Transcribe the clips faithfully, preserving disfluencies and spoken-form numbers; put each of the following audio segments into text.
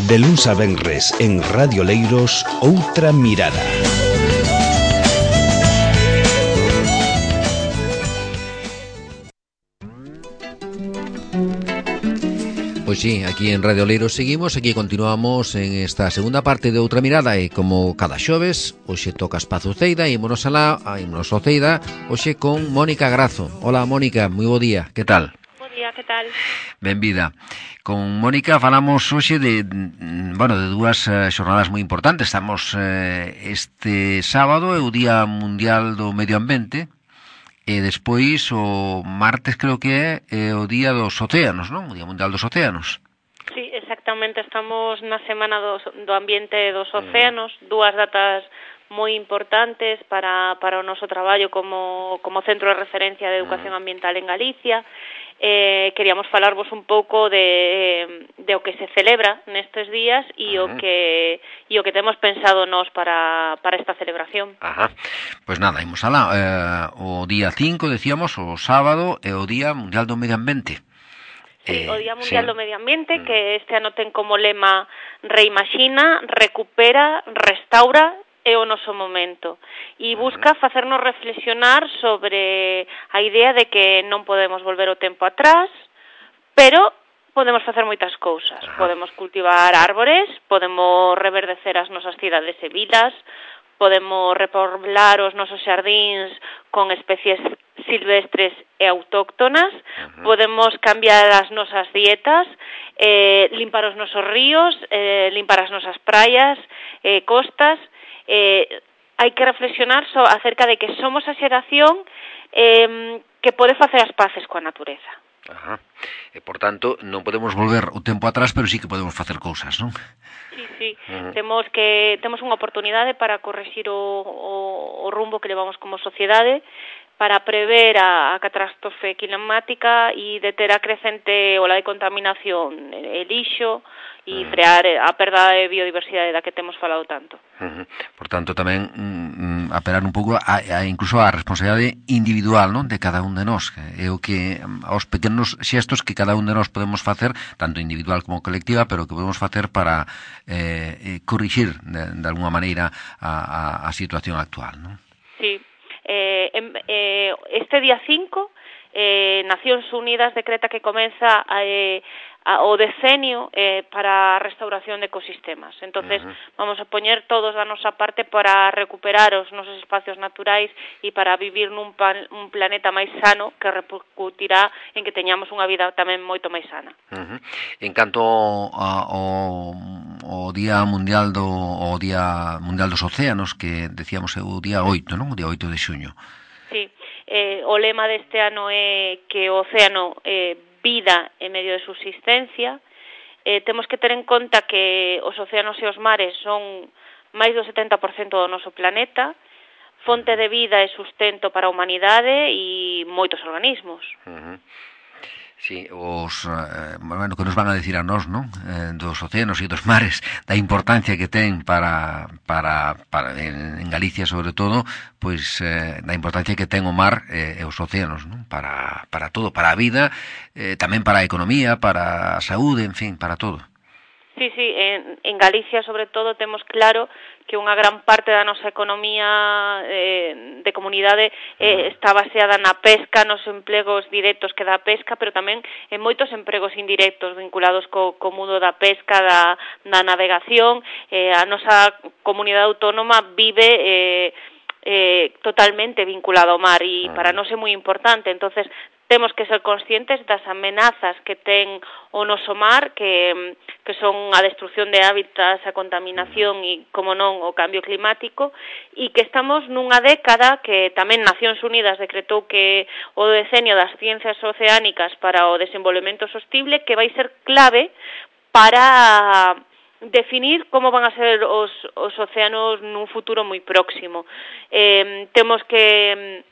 De luns a venres en Radio Leiros, Outra Mirada. Pois sí, aquí en Radio Leiros seguimos, aquí continuamos en esta segunda parte de Outra Mirada e como cada xoves, hoxe toca Espazo Ceida e ímonos alá, a ímonos ao Ceida, hoxe con Mónica Grazo. Hola Mónica, moi bo día, que tal? Bo día, que tal? Benvida. Con Mónica falamos hoxe de, bueno, de dúas uh, xornadas moi importantes. Estamos uh, este sábado, é o Día Mundial do Medio Ambiente, e despois o martes creo que é, é o Día dos Océanos, non? O Día Mundial dos Océanos. Sí, exactamente, estamos na Semana do, do Ambiente e dos Océanos, mm. dúas datas moi importantes para, para o noso traballo como, como centro de referencia de educación ambiental en Galicia. Eh, queríamos falarvos un pouco de, de o que se celebra nestes días e uh-huh. o que e o que temos pensado nós para, para esta celebración. Ajá. Pois nada, imos alá. Eh, o día cinco, decíamos, o sábado, é o Día Mundial do Medio Ambiente. Sí, eh, o Día Mundial sí. do Medio Ambiente, mm. que este ano ten como lema reimaxina, recupera, restaura é o noso momento e busca facernos reflexionar sobre a idea de que non podemos volver o tempo atrás, pero podemos facer moitas cousas. Ajá. Podemos cultivar árbores, podemos reverdecer as nosas cidades e vilas, podemos repoblar os nosos xardíns con especies silvestres e autóctonas, uh-huh. podemos cambiar as nosas dietas, eh, limpar os nosos ríos, eh, limpar as nosas praias, eh, costas. Eh, hai que reflexionar so, acerca de que somos a xeración eh, que pode facer as paces coa natureza. Ajá. E, por tanto, non podemos volver o tempo atrás, pero sí que podemos facer cousas, non? Sí, sí. Uh-huh. Temos que temos unha oportunidade para corrixir o, o, o rumbo que levamos como sociedade, para prever a, a catástrofe climática e deter a crecente ola de contaminación e lixo e uh-huh. frear a perda de biodiversidade da que temos falado tanto. Uh-huh. Por tanto, tamén mm, apelar un pouco a, a incluso a responsabilidade individual, non, de cada un de nós. É o que aos pequenos xestos que cada un de nós podemos facer, tanto individual como colectiva, pero que podemos facer para eh, corrixir de, de alguma maneira a, a, a situación actual, non? Sí. Eh, eh, este día cinco, eh, Nacións Unidas decreta que comeza eh, a, o decenio eh, para a restauración de ecosistemas. Entonces, uh-huh. vamos a poñer todos da nosa parte para recuperar os nosos espacios naturais e para vivir nun pan, un planeta máis sano que repercutirá en que teñamos unha vida tamén moito máis sana. Uh-huh. En canto ao o Día Mundial do o Día Mundial dos Océanos, que decíamos é o día oito, non? O día oito de xuño. Sí, eh, o lema deste ano é que o océano é vida en medio de subsistencia. Eh, temos que ter en conta que os océanos e os mares son máis do setenta por cento do noso planeta, fonte de vida e sustento para a humanidade e moitos organismos. Uh-huh. Sí, os, eh, bueno, que nos van a decir a nós, non? Eh, dos océanos e dos mares, da importancia que ten para, para, para en, en Galicia, sobre todo, pois, eh, da importancia que ten o mar eh, e os océanos, non? Para, para todo, para a vida, eh, tamén para a economía, para a saúde, en fin, para todo. Sí, sí, en, en Galicia, sobre todo, temos claro que unha gran parte da nosa economía eh, de comunidade eh, está baseada na pesca, nos empregos directos que dá a pesca, pero tamén en moitos empregos indirectos vinculados co, co mundo da pesca, da, da navegación. Eh, a nosa comunidade autónoma vive eh, eh, totalmente vinculada ao mar e para nós é moi importante. Entonces, temos que ser conscientes das amenazas que ten o noso mar, que, que son a destrucción de hábitats, a contaminación e, como non, o cambio climático, e que estamos nunha década que tamén Nacións Unidas decretou que o decenio das ciencias oceánicas para o desenvolvemento sostible, que vai ser clave para definir como van a ser os, os océanos nun futuro moi próximo. Eh, temos que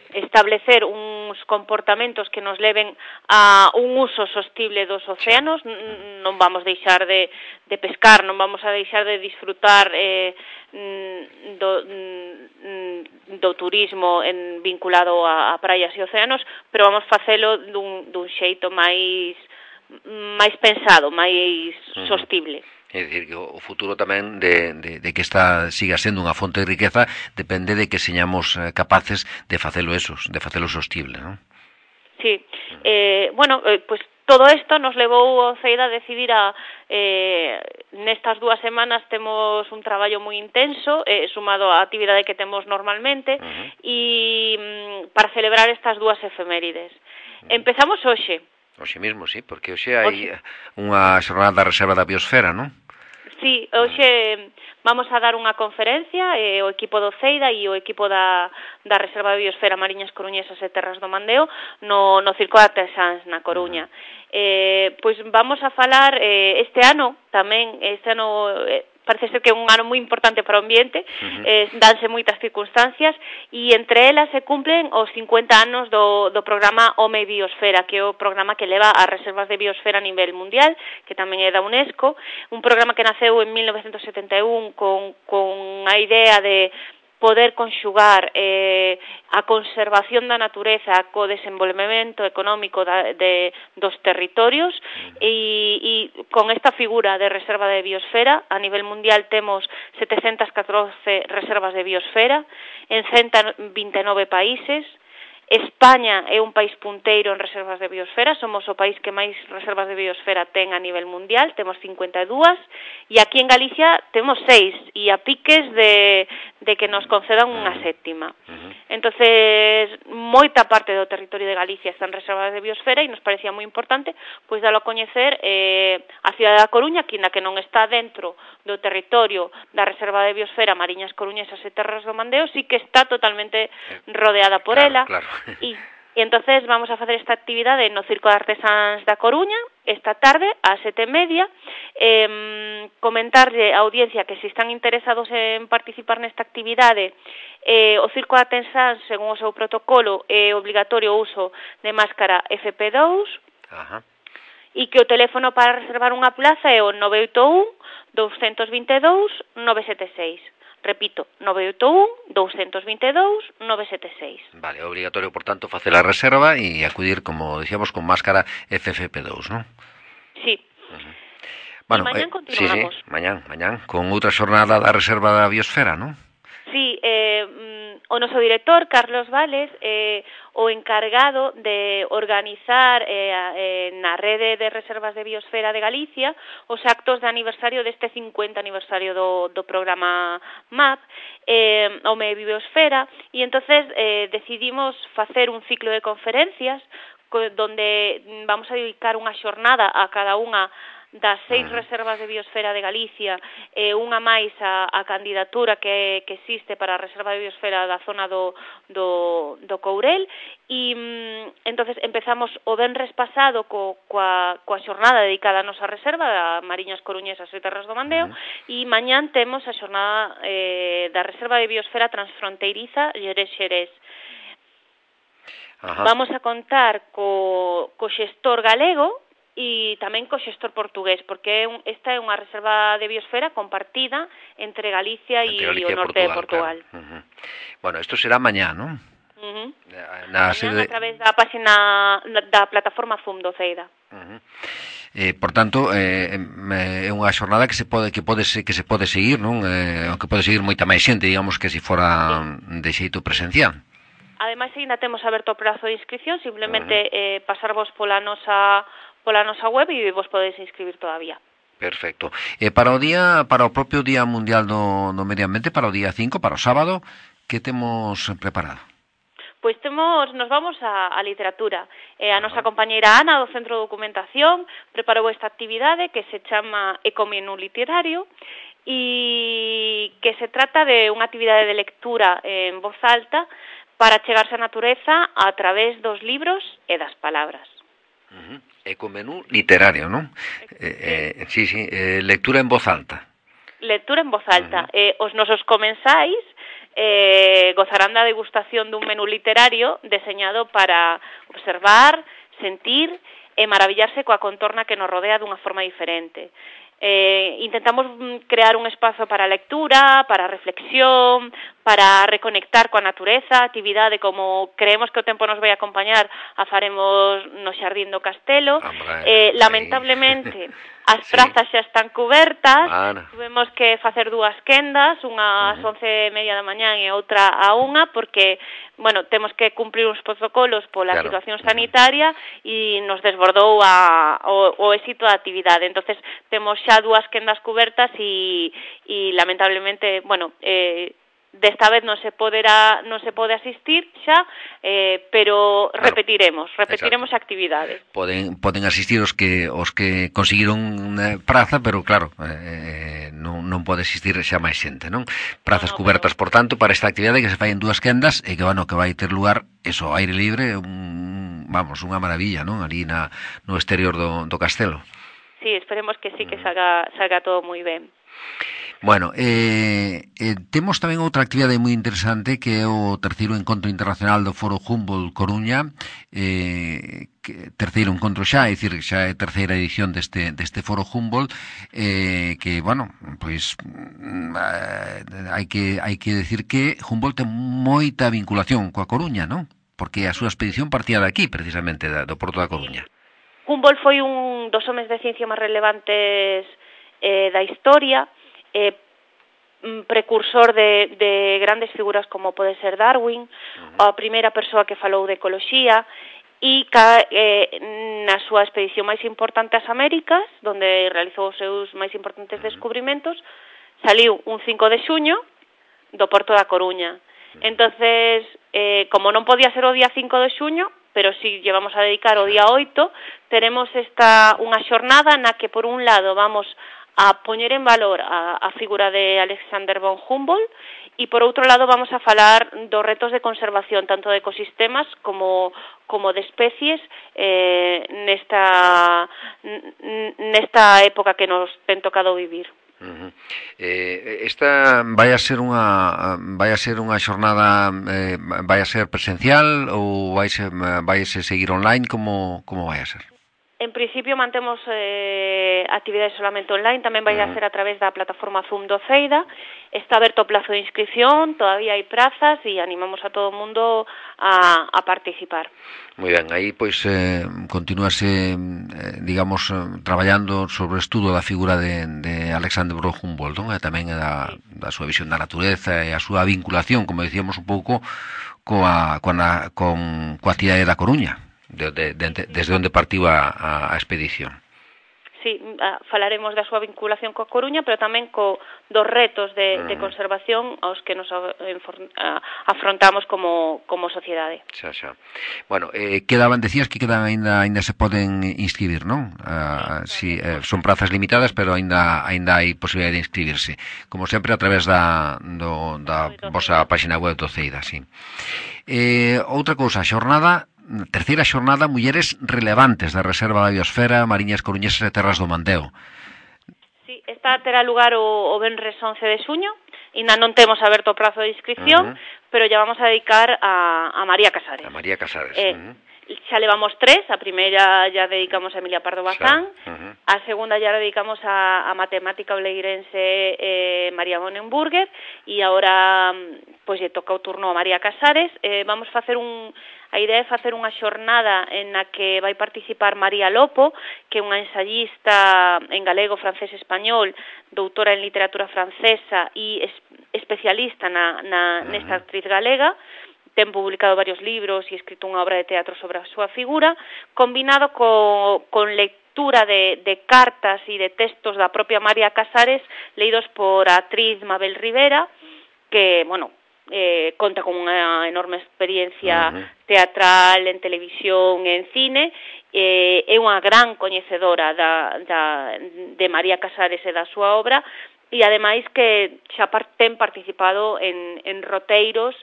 establecer uns comportamentos que nos leven a un uso sostible dos océanos. Non vamos deixar de, de pescar, non vamos a deixar de disfrutar eh, do, do turismo en, vinculado a, a praias e océanos, pero vamos facelo dun, dun xeito máis máis pensado, máis sostible. É dicir, que o futuro tamén de, de, de que esta siga sendo unha fonte de riqueza depende de que señamos capaces de facelo esos, de facelo sostible, non? Sí, eh, bueno, eh, pues todo isto nos levou o CEID a decidir a eh, nestas dúas semanas temos un traballo moi intenso, eh, sumado á actividade que temos normalmente, uh-huh. e mm, para celebrar estas dúas efemérides. Uh-huh. Empezamos hoxe. Hoxe mesmo, sí, porque hoxe hai unha xornada da Reserva da Biosfera, non? Sí, hoxe vamos a dar unha conferencia, eh, o equipo do CEIDA e o equipo da, da Reserva da Biosfera Mariñas Coruñesas e Terras do Mandeo no, no Circo de Artesáns na Coruña. Eh, pois vamos a falar eh, este ano tamén, este ano... Eh, parece ser que é un ano moi importante para o ambiente, uh-huh. eh, danse moitas circunstancias, e entre elas se cumplen os cincuenta anos do, do programa Home Biosfera, que é o programa que leva as reservas de biosfera a nivel mundial, que tamén é da UNESCO, un programa que naceu en mil novecentos setenta e un con, con a idea de poder conxugar eh, a conservación da natureza co desenvolvemento económico da, de, dos territorios e, e con esta figura de reserva de biosfera a nivel mundial temos setecentas catorce reservas de biosfera en ciento vinte e nove países. España é un país punteiro en reservas de biosfera, somos o país que máis reservas de biosfera ten a nivel mundial, temos cincuenta e dúas, e aquí en Galicia temos seis, e a piques de, de que nos concedan unha sétima. Entonces, moita parte do territorio de Galicia está en reservas de biosfera e nos parecía moi importante pois dalo a coñecer eh, a cidade da Coruña, que ainda que non está dentro do territorio da Reserva de Biosfera Mariñas Coruñesas e Terras do Mandeo, sí que está totalmente rodeada por claro, ela. Claro. E, e entonces vamos a facer esta actividade no Circo de Artesáns da Coruña esta tarde ás sete e media, eh, comentarlle á audiencia que se están interesados en participar nesta actividade, eh, o Circo de Artesáns, según o seu protocolo, é obligatorio o uso de máscara F P dous, Ajá. e que o teléfono para reservar unha plaza é o nove oito un, dous dos dous, nove sete seis. Repito, nove oito un, dous dos dous, nove sete seis. Vale, é obligatorio, por tanto, facer a reserva e acudir, como decíamos, con máscara F F P dous, non? Sí. Uh-huh. Bueno, e mañán eh, continuamos. Sí, sí, mañán, mañán, con outra xornada da Reserva da Biosfera, non? Sí, eh, o noso director, Carlos Vales, eh, o encargado de organizar eh, eh, na rede de reservas de biosfera de Galicia os actos de aniversario deste cincuenta aniversario do, do programa M A P, eh, Home Biosfera, e entonces eh, decidimos facer un ciclo de conferencias donde vamos a dedicar unha xornada a cada unha das seis reservas de biosfera de Galicia, e unha máis a, a candidatura que, que existe para a reserva de biosfera da zona do, do, do Courel, e mm, entonces empezamos o venres pasado co, coa, coa xornada dedicada a nosa reserva da Mariñas Coruñesas e Terras do Mandeo, uh-huh. e mañán temos a xornada eh, da reserva de biosfera transfronteiriza Xerés-Xerés. Uh-huh. Vamos a contar co, co xestor galego e tamén co xestor portugués, porque esta é unha reserva de biosfera compartida entre Galicia e o norte de Portugal. Claro. Uh-huh. Bueno, isto será mañá, non? Uh-huh. Na mañá sede... a través da página da plataforma Zoom do CEIDA. Uh-huh. Eh, por tanto, eh, é unha xornada que se pode que pode que se pode seguir, non? Eh, que pode seguir moita máis xente, digamos, que se fora sí. de xeito presencial. Ademais, ainda temos aberto o prazo de inscripción, simplemente uh-huh. eh, pasarvos pola nosa pola nosa web e vos podedes inscribir todavía. Perfecto. E para o día, para o propio Día Mundial do, do Medio Ambiente, para o día cinco, para o sábado, que temos preparado? Pois temos, nos vamos a, a literatura. Eh, a nosa compañeira Ana, do Centro de Documentación, preparou esta actividade que se chama Ecomenú Literario, e que se trata de unha actividade de lectura en voz alta para chegarse á natureza a través dos libros e das palabras. Uh-huh. Ecomenú literario, non? Eh, eh, sí, sí, eh, lectura en voz alta. Lectura en voz alta. Uh-huh. Eh, os nosos comensais eh, gozarán da degustación dun menú literario deseñado para observar, sentir e maravillarse coa contorna que nos rodea dunha forma diferente. Eh, intentamos crear un espazo para a lectura, para a reflexión, para reconectar coa natureza, actividade como creemos que o tempo nos vai acompañar, a faremos no Xardín do Castelo. Hombre, eh, lamentablemente, as sí. prazas xa están cubertas, Ana. tuvemos que facer dúas quendas, unha ás once e media da mañán e outra a unha, porque, bueno, temos que cumprir uns protocolos pola claro. situación sanitaria e nos desbordou a, o, o éxito da actividade. Entonces temos xa dúas quendas cubertas e, e lamentablemente, bueno, eh, desta vez non se poderá, non se pode asistir xa, eh, pero claro. repetiremos, repetiremos a actividade. Poden poden asistir os que os que conseguiron eh, praza, pero claro, eh, non non pode asistir xa máis xente, non? Prazas no, no, cubertas, pero... por tanto, para esta actividade que se fai en dúas quendas e que, bueno, que vai ter lugar eso, aire libre, un, vamos, unha maravilla, non? Ali na no exterior do do castelo. Sí, esperemos que sí, que salga salga todo moi ben. Bueno, eh, eh, temos tamén outra actividade moi interesante que é o terceiro encontro internacional do Foro Humboldt Coruña, eh, que, terceiro encontro xa, é dicir, xa é terceira edición deste, deste Foro Humboldt, eh, que, bueno, pois eh, hai que hai que decir que Humboldt ten moita vinculación coa Coruña, non? Porque a súa expedición partía de aquí, precisamente, do Porto da Coruña. Humboldt foi un dos homes de ciencia máis relevantes eh, da historia, eh, precursor de, de grandes figuras como pode ser Darwin, uh-huh. a primeira persoa que falou de ecoloxía, e ca, eh, na súa expedición máis importante ás Américas, donde realizou os seus máis importantes descubrimentos, saliu un cinco de xuño do Porto da Coruña. Entonces, eh, como non podía ser o día cinco de xuño, pero si llevamos a dedicar o día oito, teremos esta unha xornada na que, por un lado, vamos a poñer en valor a, a figura de Alexander von Humboldt e, por outro lado, vamos a falar dos retos de conservación, tanto de ecosistemas como, como de especies eh, nesta, nesta época que nos ten tocado vivir. Uh-huh. Eh, esta vai a ser unha vai a ser unha xornada eh, vai a ser presencial ou vai ser vai a seguir online, como como vai a ser? En principio mantemos eh, actividades solamente online, tamén vai a ser a través da plataforma Zoom do Ceida. Está aberto o plazo de inscripción, todavía hai prazas e animamos a todo o mundo a, a participar. Moi ben, aí pois eh, continúase, eh, digamos, eh, traballando sobre o estudo da figura de, de Alexander von Humboldt, non? E tamén da, da súa visión da natureza e a súa vinculación, como decíamos un pouco, coa, coa, con, coa cidade da Coruña. De, de, de, desde onde partiu a, a, a expedición. Sí, falaremos da súa vinculación coa Coruña, pero tamén co dos retos de, mm. de conservación aos que nos afrontamos como, como sociedade. Xa, xa. Bueno, eh, quedaban, decías que quedan aínda aínda se poden inscribir, non? Uh, sí, eh, son prazas limitadas, pero aínda aínda hai posibilidade de inscribirse. Como sempre, a través da, do, da vosa página web do Ceida, sí. Eh, outra cousa, xornada terceira xornada Mulleres Relevantes da Reserva da Biosfera, Mariñas Coruñesas e Terras do Mandeo. Sí, esta terá lugar o, o venres once de xuño, ainda non temos aberto o prazo de inscripción, uh-huh. pero ya vamos a dedicar a, a María Casares. A María Casares. Eh, uh-huh. Xa levamos tres, a primeira ya dedicamos a Emilia Pardo Bazán, uh-huh. a segunda ya dedicamos a, a matemática oleirense eh, María Bonenburger, e agora pois lle toca o turno a María Casares. Eh, vamos facer un... A idea é facer unha xornada en na que vai participar María Lopo, que é unha ensayista en galego, francés e español, doutora en literatura francesa e es, especialista na, na, nesta actriz galega. Ten publicado varios libros e escrito unha obra de teatro sobre a súa figura, combinado co, con lectura de, de cartas e de textos da propia María Casares, leídos por a actriz Mabel Rivera, que, bueno, Eh, conta con unha enorme experiencia uh-huh. teatral, en televisión, en cine, eh, é unha gran coñecedora da, da, de María Casares e da súa obra, e ademais que xa ten participado en, en roteiros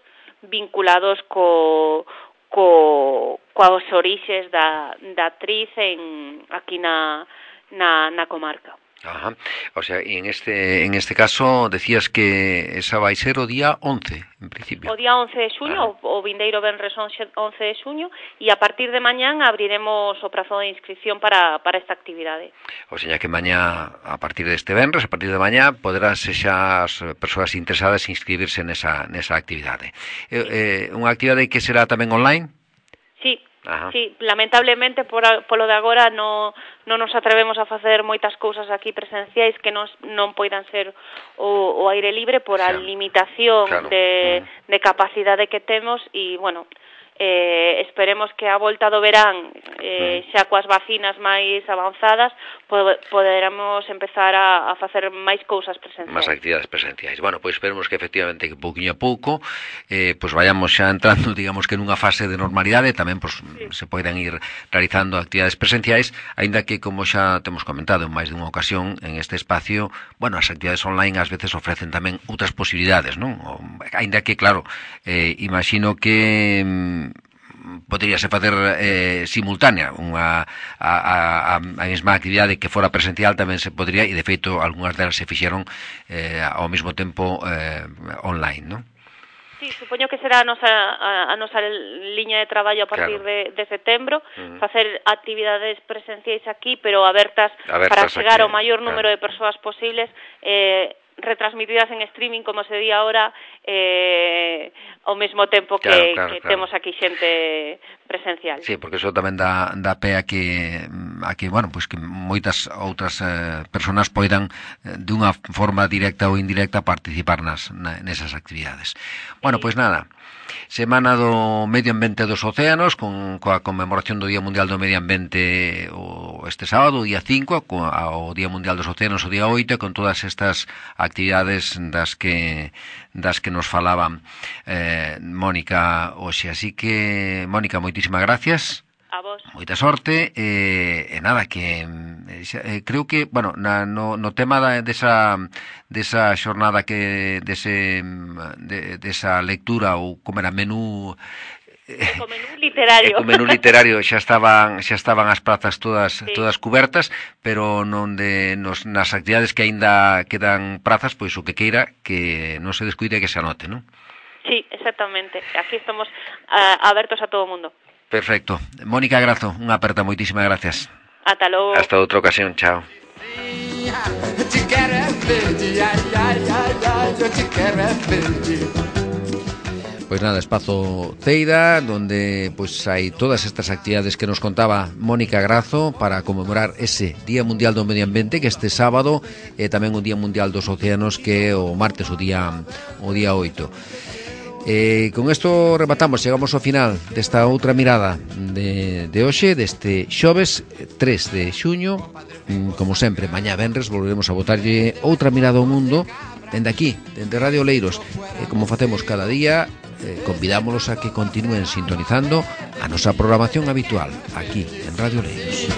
vinculados co, co, coas orixes da, da actriz en, aquí na, na, na comarca. Ajá. O sea, y en este en este caso decías que esa vai ser o día once, en principio. O día once de xuño, ah. o vindeiro venres once de xuño, e a partir de mañán abriremos o prazo de inscripción para, para esta actividade. O sea, que mañá, a partir deste venres, a partir de mañá, poderán xa as persoas interesadas inscribirse nesa, nesa actividade. Eh, eh, unha actividade que será tamén online? Sí. Ajá. Sí, lamentablemente por, a, polo de agora no, non nos atrevemos a facer moitas cousas aquí presenciais que non, non poidan ser o, o aire libre por a Claro. limitación Claro. de, Uh-huh. de capacidade que temos e, bueno, eh, esperemos que a volta do verán, eh, xa coas vacinas máis avanzadas, pod- poderamos empezar a, a facer máis cousas presenciais. Más actividades presenciais. Bueno, pois esperemos que efectivamente que pouquiño a pouco eh, pois vayamos xa entrando, digamos que nunha fase de normalidade, tamén pois, sí. se poidan ir realizando actividades presenciais, aínda que, como xa temos comentado en máis dunha ocasión en este espacio, bueno, as actividades online ás veces ofrecen tamén outras posibilidades, non? O, aínda que, claro, eh, imagino que poderíase facer eh, simultánea unha a, a, a mesma actividade que fora presencial tamén se podría, e de feito algunhas delas se fixeron eh, ao mesmo tempo eh, online, non? Sí, supoño que será a nosa, a, a nosa liña de traballo a partir claro. de, de setembro, uh-huh. facer actividades presenciais aquí, pero abertas, abertas para chegar aquí, ao maior número claro. de persoas posibles, eh, retransmitidas en streaming, como se di ahora, eh, ao mesmo tempo que, claro, claro, que claro. temos aquí xente presencial. Sí, porque eso tamén dá, dá pé a que, a que, bueno, pues que moitas outras eh, persoas poidan eh, de unha forma directa ou indirecta participar nas, na, nesas actividades. Bueno, sí. Pois nada, Semana do Medio Ambiente dos Océanos, con coa conmemoración do Día Mundial do Medio Ambiente o este sábado, o día cinco, co, o Día Mundial dos Océanos o día oito, con todas estas actividades das que das que nos falaban eh, Mónica hoxe. Así que, Mónica, moitísimas gracias. A vos. Moita sorte, eh, e nada, que eh, creo que, bueno, na, no, no tema da, desa, desa xornada que, dese, de, desa lectura, ou como era, menú... O menú literario. O menú literario xa estaban xa estaban as prazas todas sí. todas cubertas, pero non de nos nas actividades que aínda quedan prazas, pois o que queira que non se descuide que se anote, non? Sí, exactamente. Aquí estamos uh, abertos a todo o mundo. Perfecto. Mónica Grazo, unha aperta, moitísimas gracias. Ata logo. Hasta outra ocasión, chao. Pois nada, Espazo Ceira, donde pois hai todas estas actividades que nos contaba Mónica Grazo para conmemorar ese Día Mundial do Medio Ambiente, que este sábado e tamén o Día Mundial dos Océanos, que é o martes, o día o día oito. Eh, con isto rematamos, chegamos ao final desta outra mirada de, de hoxe, deste xoves tres de xuño. Como sempre, mañá venres volveremos a botarlle outra mirada ao mundo dende aquí, dende Radio Oleiros. E como facemos cada día, eh, convidámolos a que continúen sintonizando a nosa programación habitual aquí en Radio Oleiros.